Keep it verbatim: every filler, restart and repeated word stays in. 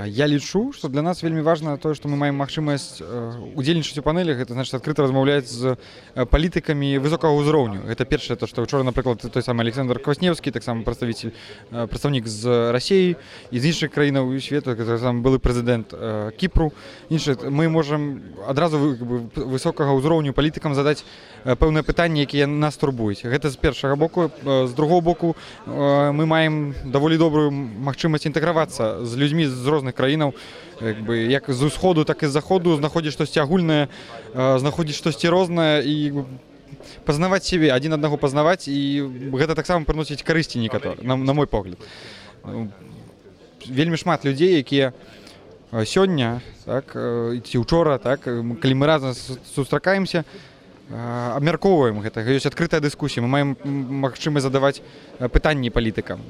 Я лічу, што для нас вельмі важна тое, што мы маем магчымасць удзельнічаць у панелях, гэта значыць адкрыта размаўляць з палітыкамі высокага ўзроўню. Гэта першае, то, што учора, напрыклад, той самы Александр Квасневскі, таксама прадставіцель, прадстаўнік з Расіі і з іншых краінаў свету, таксама былы прэзідэнт Кіпру. Іншае, мы можам адразу высокага ўзроўню палітыкам задаць пэўныя пытанні, якія нас турбуюць. Гэта з першага боку. З другого боку, мы маем даволі добрую магчымасць інтэгравацца з людзьмі з розных краінаў, як з усходу, так і з заходу, знаходзіць штосьці агульнае, знаходзіць штосьці рознае і пазнаваць сябе, адзін аднаго пазнаваць, і гэта таксама прыносіць карысці некаторыя, на, на мой погляд. Вельмі шмат людзей, якія сёння, так, ці учора, так, калі мы разам сустракаемся, абмяркоўваем гэта, ёсць адкрытая дыскусія, мы маем магчымасць задаваць пытанні палітыкам.